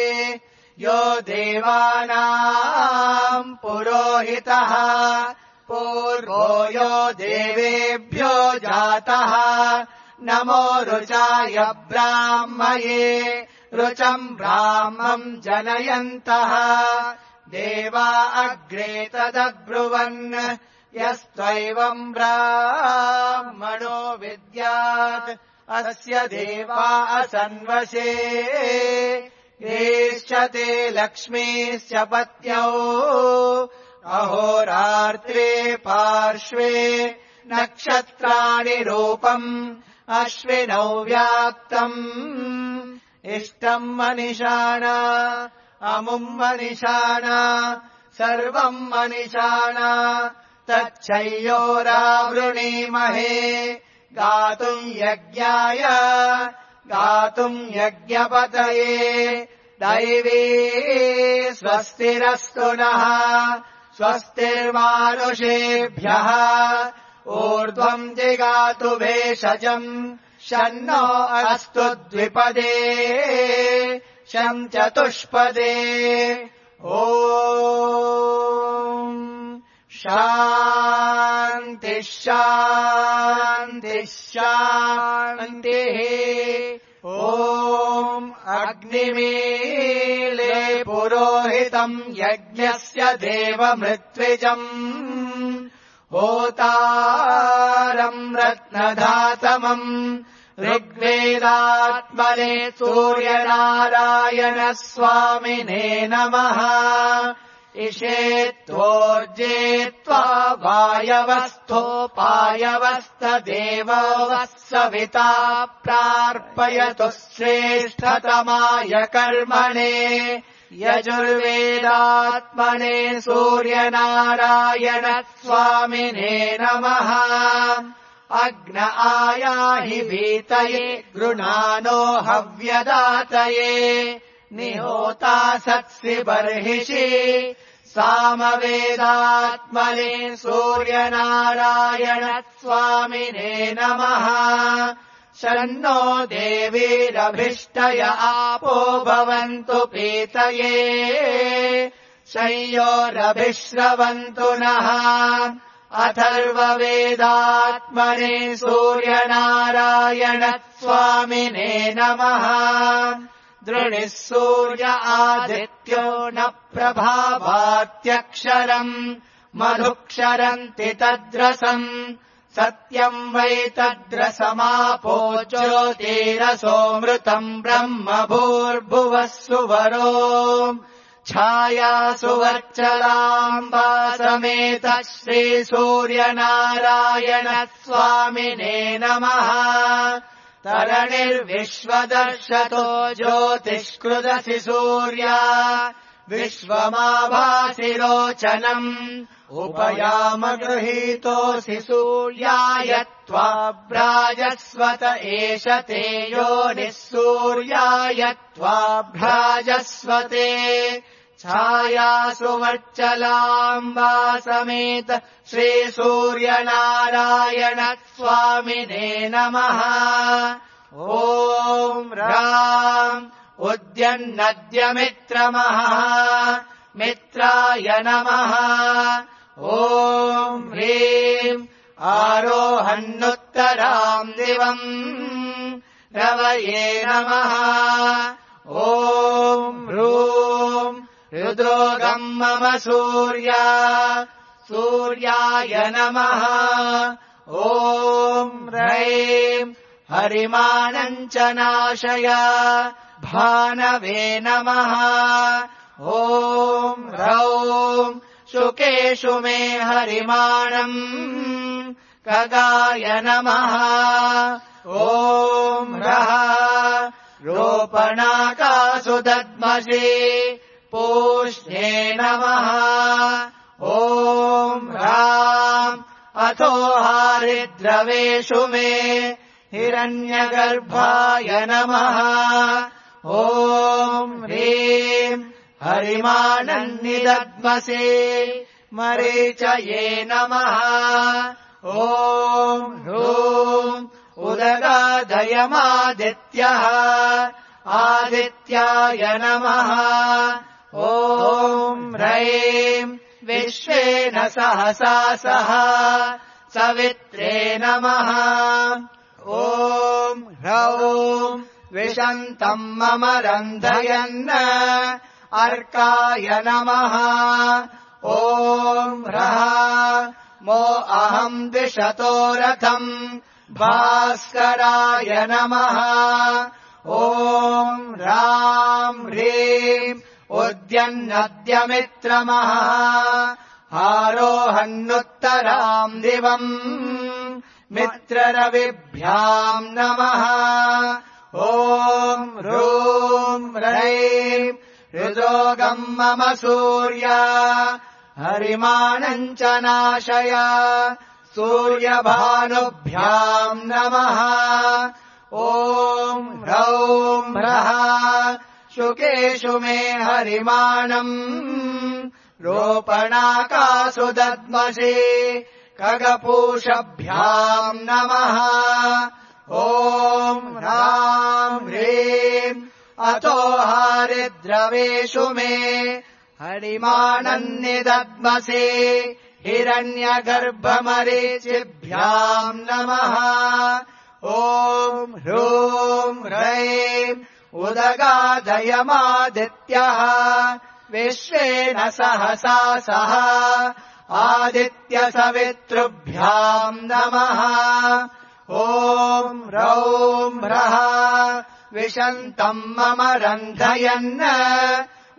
यो देवानाम् पुरोहितः पूर्वो यो देवेभ्यो जातः नमो रुचाय ब्राह्मये रुचम् ब्राह्मम् जनयन्तः देवा अग्रे तदब्रुवन् यस्त्वैवम् ब्राह्मणो विद्यात् अस्य देवा असन्वशे येष्यते लक्ष्मीश्च पत्न्यौ अहोरात्रे पार्श्वे नक्षत्राणि रूपम् अश्विनौ व्याप्तम् इष्टम् मनिषाणा अमुम् मनिषाणा सर्वम् मनिषाणा तच्छय्योरावृणीमहे गातुम् यज्ञाय गातुम् यज्ञपतये दैवी स्वस्तिरस्तु नः स्वस्तिर्मानुषेभ्यः ऊर्ध्वम् जिगातु भेषजम् शन्नो अस्तु द्विपदे शम् चतुष्पदे ॐ शान्तिः शान्तिः शान्तिः ॐ अग्निमीले पुरोहितम् यज्ञस्य देवमृत्विजम् होतारम् रत्नधातमम् ऋग्वेदात्मने सूर्यनारायण स्वामिने नमः इषेत्वोर्जे त्वा वायवस्थोपायवस्तदेवो वः सविता प्रार्पयतु श्रेष्ठतमाय कर्मणे यजुर्वेदात्मने सूर्यनारायण स्वामिने नमः अग्न आयाहि भीतये गृणानो हव्यदातये निहोता सत्सि बर्हिषि सामवेदात्मने सूर्यनारायण स्वामिने नमः शन्नो देवीरभिष्टय आपो भवन्तु पीतये शय्योरभिश्रवन्तु नः अथर्ववेदात्मने सूर्यनारायण स्वामिने नमः दृढिः सूर्य आदित्यो न प्रभावात्यक्षरम् मधुक्षरन्ति तद्रसम् सत्यम् वै तद्रसमापो ज्योतिरसोऽमृतम् ब्रह्म भूर्भुवः सुवरो छायासुवर्चलाम्बा समेत श्रीसूर्यनारायण स्वामिने नमः तरणिर्विश्वदर्शतो ज्योतिष्कृदसि सूर्या विश्वमाभासि रोचनम् उपयामगृहीतोऽसि सूर्याय त्वा भ्राजस्वत एष ते योनिः सूर्याय त्वा भ्राजस्वते छायासुवर्चलाम्बा समेत श्रीसूर्यनारायण स्वामिने नमः ॐ ह्राम् उद्यन्नद्यमित्रमः मित्राय नमः ॐ ह्रीम् आरोहन्नुत्तराम् दिवम् रवये नमः ॐ ह्रूम् रुद्रोगम् मम सूर्या सूर्याय नमः ॐ ह्रैम् हरिमाणम् च नाशय भानवे नमः ॐ ह्रौम् शुकेषु मे हरिमाणम् खगाय नमः ॐ ह्रः रोपणाकासु दद्मसि पूष्णे नमः ॐ ह्राम् अथो हारिद्रवेषु मे हिरण्यगर्भाय नमः ॐ ह्रीम् हरिमानन्निदद्मसे मरीचये नमः ॐ ह्रूम् उदगादयमादित्यः आदित्याय नमः ॐ ह्रैम् विश्वेन सहसा सह सवित्रे नमः ॐ ह्रौम् विशन्तम् मम रन्धयन् अर्काय नमः ॐ ह्रः मो अहम् द्विषतो रथम् भास्कराय नमः ॐ ह्राम् ह्रीम् उद्यन्नद्यमित्रमः आरोहन्नुत्तराम् दिवम् मित्ररविभ्याम् नमः ॐ ह्रूम् ह्रैम् हृदोगम् मम सूर्य हरिमाणम् च नाशय सूर्यभानुभ्याम् नमः ॐ ह्रौम् ह्रः शुकेषु मे हरिमाणम् रोपणाकासु दद्मसि खगपूषभ्याम् नमः ॐ ह्राम् ह्रीम् अतो हारिद्रवेषु मे हरिमाणन्निदद्मसि हिरण्यगर्भमरीचिभ्याम् नमः ॐ ह्रूम् ह्रैम् उदगादयमादित्यः विश्वेन सहसा सह आदित्यसवितृभ्याम् नमः ॐ ह्रौम् ह्रः विशन्तम् मम रन्धयन्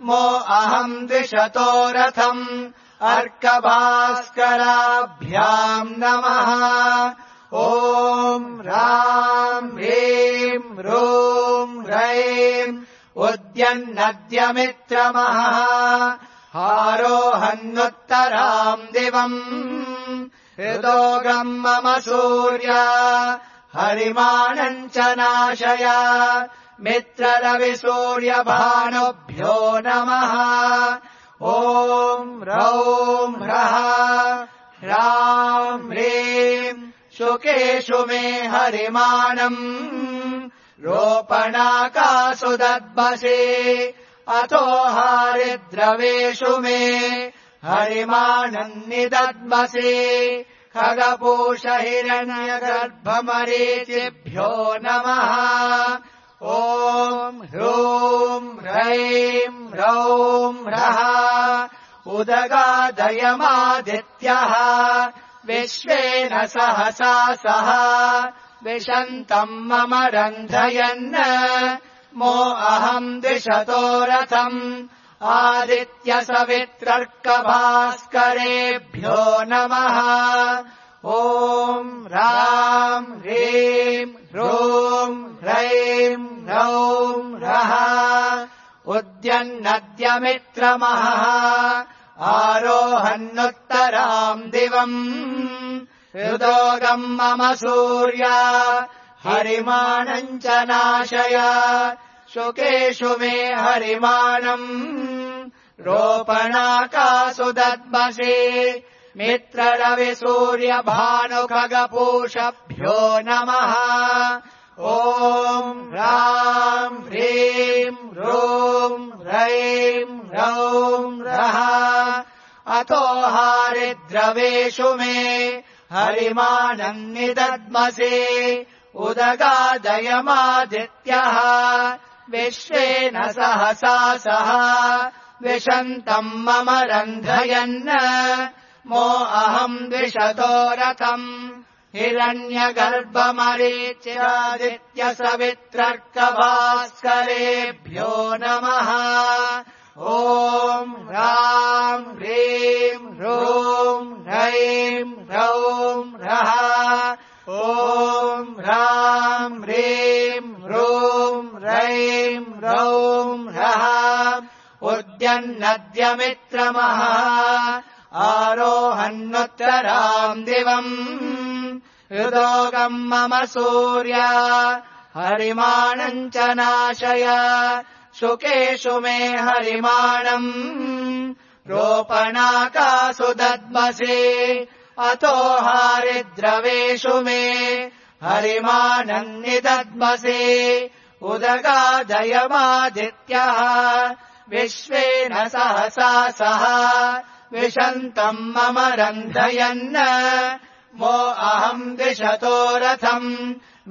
मो अहम् द्विषतो रथम् अर्कभास्कराभ्याम् नमः ॐ ह्राम् ह्रीम् ह्रूम् ह्रैम् उद्यन्नद्यमित्रमः आरोहन्नुत्तराम् दिवम् हृदोगम् मम सूर्य हरिमाणम् च नाशय मित्ररविसूर्यभानुभ्यो नमः ॐ ह्रौम् ह्रः ह्राम् ह्रीम् शुकेषु मे हरिमाणम् रोपणाकासु दद्मसि अतो हारिद्रवेषु मे हरिमाणन्निदद्मसि खगपूष हिरण्यगर्भमरीचिभ्यो नमः ॐ ह्रूम् ह्रैम् ह्रौम् ह्रः उदगादयमादित्यः विश्वेन सहसा सह विशन्तम् मम रन्धयन् मो अहम् द्विषतो रथम् आदित्यसवित्रर्कभास्करेभ्यो नमः ॐ ह्राम् ह्रीम् ह्रूम् ह्रैम् ह्रौम् ह्रः उद्यन्नद्यमित्रमः आरोहन्नुत्तराम् दिवम् हृदोगम् मम सूर्य हरिमाणम् च नाशय शुकेषु मे हरिमाणम् रोपणाकासु दद्मसि मित्ररविसूर्यभानुखगपूषभ्यो नमः ॐ ह्राम् ह्रीम् ह्रूम् ह्रैम् ह्रौम् ह्रः अतो हारिद्रवेषु मे हरिमाणन्निदद्मसि उदगादयमादित्यः विश्वेन सहसा सह विशन्तम् मम रन्धयन् मो अहम् द्विषतो रथम् हिरण्यगर्भमरीच्यादित्यसवित्रर्कभास्करेभ्यो नमः ॐ ह्राम् ह्रीम् ह्रूम् ह्रैम् ह्रौम् ह्रः ॐ ह्राम् ह्रीम् ह्रूम् ह्रैम् प्रोद्यन्नद्यमित्रमः आरोहन्नुत्तराम् दिवम् हृदोगम् मम सूर्य हरिमाणम् च नाशय शुकेषु मे हरिमाणम् रोपणाकासु दद्मसि अतो हारिद्रवेषु मे हरिमाणम् निदद्मसि उदगादयमादित्यः विश्वेन सहसा सह विशन्तम् मम रन्धयन् मो अहम् दिशतो रथम्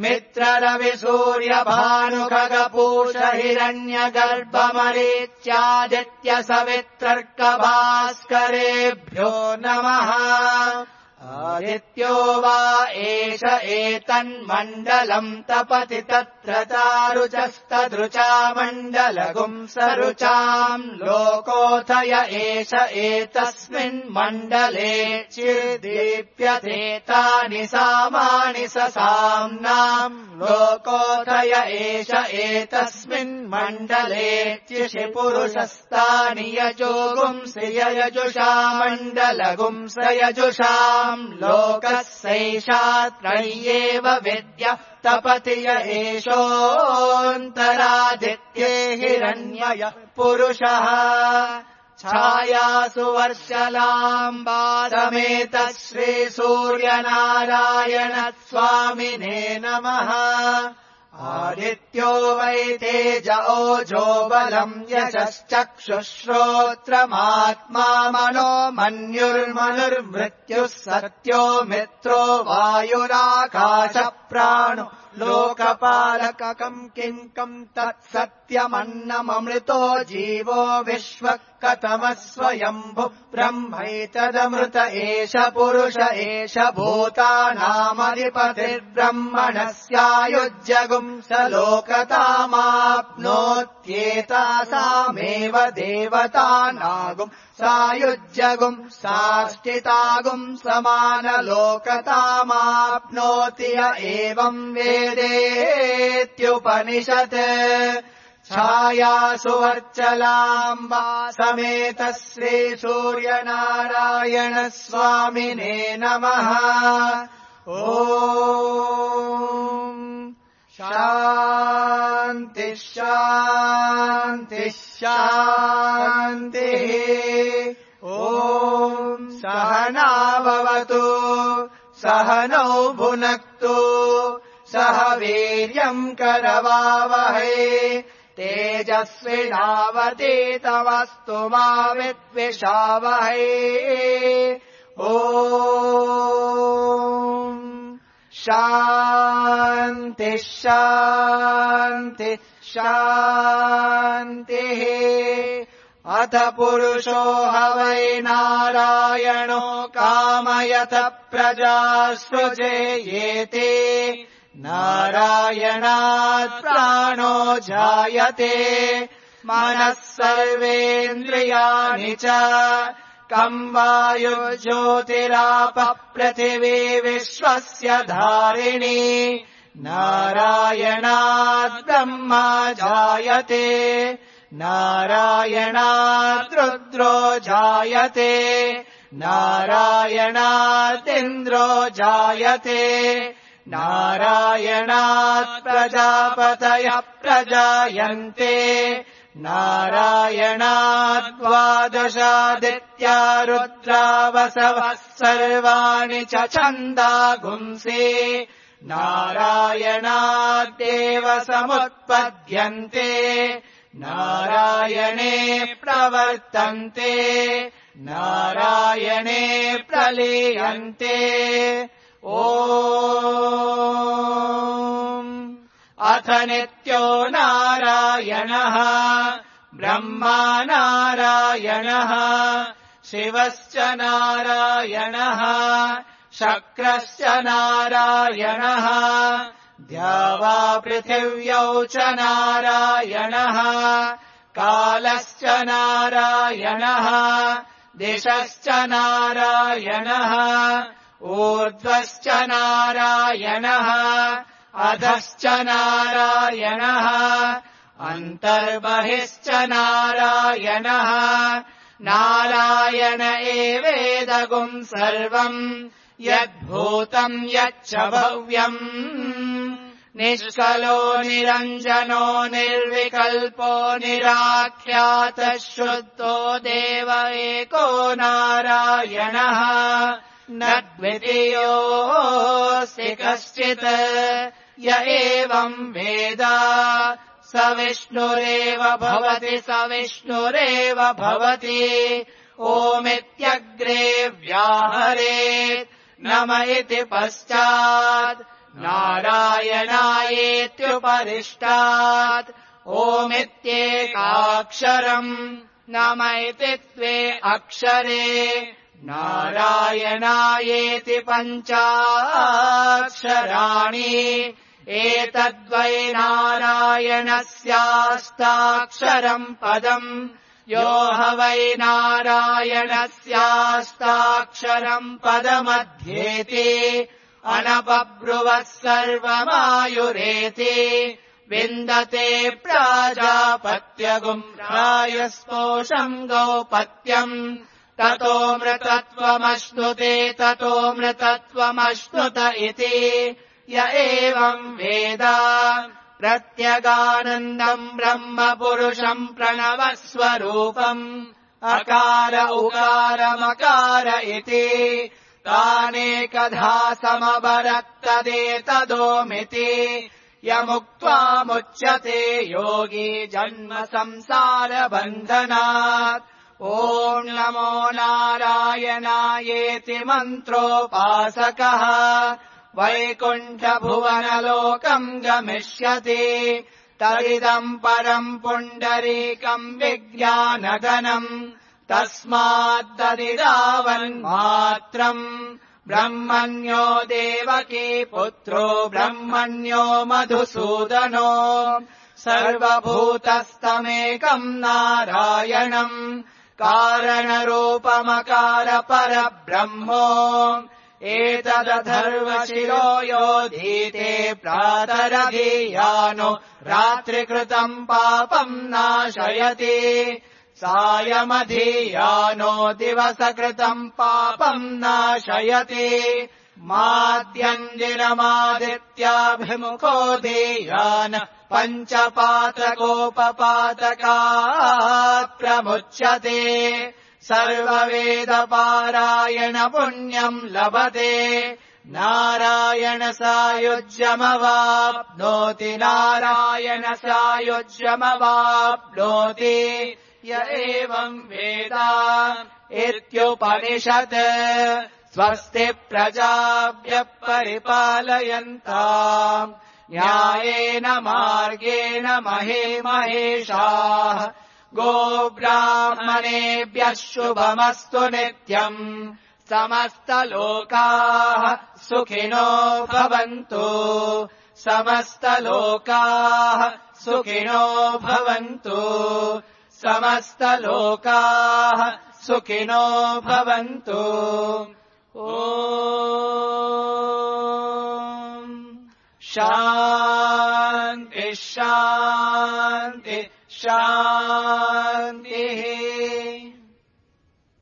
मित्ररविसूर्यभानुखगपूष हिरण्यगर्भमरीच्यादित्य सवित्रर्कभास्करेभ्यो नमः आदित्यो वा एष एतन्मण्डलम् तपति तत्र चारुचस्तदृचा मण्डलगुम् सरुचाम् लोकोऽथय एष एतस्मिन्मण्डले चिर्दीप्यते तानि सामानि ससाम्नाम् लोकोऽथय एष एतस्मिन्मण्डले चिषि पुरुषस्तानि यजोगुंसि यजुषा मण्डलगुंस यजुषाम् लोकस्यैषात्रय्येव विद्य तपति य एषोऽन्तरादित्ये हिरण्यय पुरुषः छायासु वर्षलाम्बा समेतः श्रीसूर्यनारायण स्वामिने नमः आदित्यो वै तेज ओजो बलम् यशश्चक्षुश्रोत्रमात्मा मनो मन्युर्मनुर्मृत्युः सत्यो मित्रो वायुराकाश प्राणो लोकपालककम् किङ्कम् तत्सत्यमन्नममृतो जीवो विश्वः कथमः स्वयम्भु ब्रह्मैतदमृत एष पुरुष एष भूतानामधिपतिर्ब्रह्मणस्यायुज्यगुम् स लोकतामाप्नोत्येतासामेव देवतानागुम् सायुज्यगुम् साष्टितागुम् समानलोकतामाप्नोति य एवम् वेदेत्युपनिषत् छायासु वर्चलाम्बा समेतः श्रीसूर्यनारायण स्वामिने नमः ॐ शान्ति शान्ति शान्तिः ॐ सहना भवतु सहनौ भुनक्तु सह वीर्यम् करवावहै तेजस्विनावतीतमस्तु मा विद्विषावहै ॐ शान्ति शान्ति शान्तिः अथ पुरुषो ह वै नारायणो कामयत प्रजासृजेयेति नारायणात् प्राणो जायते मनः सर्वेन्द्रियाणि च कम् वायुर्ज्योतिरापः पृथिवी विश्वस्य धारिणी नारायणात् ब्रह्मा जायते नारायणात् रुद्रो जायते नारायणादिन्द्रो जायते नारायणात् प्रजापतयः प्रजायन्ते नारायणात् द्वादशादित्या रुद्रावसवः सर्वाणि च छन्दागुंसि नारायणादेव समुत्पद्यन्ते नारायणे प्रवर्तन्ते नारायणे प्रलीयन्ते ॐ अथ नित्यो नारायणः ब्रह्मा नारायणः शिवश्च नारायणः शक्रश्च नारायणः द्यावा पृथिव्यौ च नारायणः कालश्च नारायणः दिशश्च नारायणः ऊर्ध्वश्च नारायणः अधश्च नारायणः अन्तर्बहिश्च नारायणः नारायण एवेदगुम् सर्वम् यद्भूतम् यच्च भव्यम् निष्कलो निरञ्जनो निर्विकल्पो निराख्यातः शुद्धो देव एको नारायणः न द्वितीयोऽस्ति कश्चित् य एवम् वेद स विष्णुरेव भवति स विष्णुरेव भवति ओमित्यग्रे व्याहरेत् नम इति पश्चात् नारायणायेत्युपरिष्टात् ओमित्येकाक्षरम् नम इति द्वे अक्षरे नारायणायेति पञ्चाक्षराणि एतद्वै नारायणस्याष्टाक्षरम् पदम् यो ह वै नारायणस्याष्टाक्षरम् पदमध्येति अनपब्रुवः सर्वमायुरेति विन्दते प्राजापत्यगुम् रायस्पोषम् गौपत्यम् ततोऽमृतत्वमश्नुते ततोऽमृतत्वमश्नुत इति य एवम् वेद प्रत्यगानन्दम् ब्रह्म पुरुषम् प्रणवस्वरूपम् अकार उकारमकार इति तानेकधा समवरत्तदेतदोमिति यमुक्त्वामुच्यते योगी जन्म संसारबन्धनात् ॐ नमो नारायणायेति मन्त्रोपासकः वैकुण्ठभुवनलोकम् गमिष्यति तदिदम् परम् पुण्डरीकम् विज्ञानगणम् तस्माद्ददिदावन्मात्रम् ब्रह्मण्यो देवकी पुत्रो ब्रह्मण्यो मधुसूदनो सर्वभूतस्तमेकम् नारायणम् कारणरूपमकार परब्रह्मो एतदथर्वशिरो योधीते प्रातरधीयानो रात्रिकृतम् पापम् नाशयति सायमधीयानो दिवसकृतम् पापम् नाशयति माद्यञ्जिनमादित्याभिमुखो धीयान पञ्चपातकोपपातकात् प्रमुच्यते सर्ववेदपारायण पुण्यम् लभते नारायण सायुज्यमवाप्नोति नारायण सायुज्यमवाप्नोति य एवम् वेद इत्युपनिषत् स्वस्ति प्रजाभ्यः परिपालयन्ताम् न्यायेन मार्गेण महे महेशाः गोब्राह्मणेभ्यः शुभमस्तु नित्यम् समस्तलोकाः सुखिनो भवन्तु समस्तलोकाः सुखिनो भवन्तु समस्तलोकाः सुखिनो भवन्तु ॐ शान्ति शान्ति शान्तिः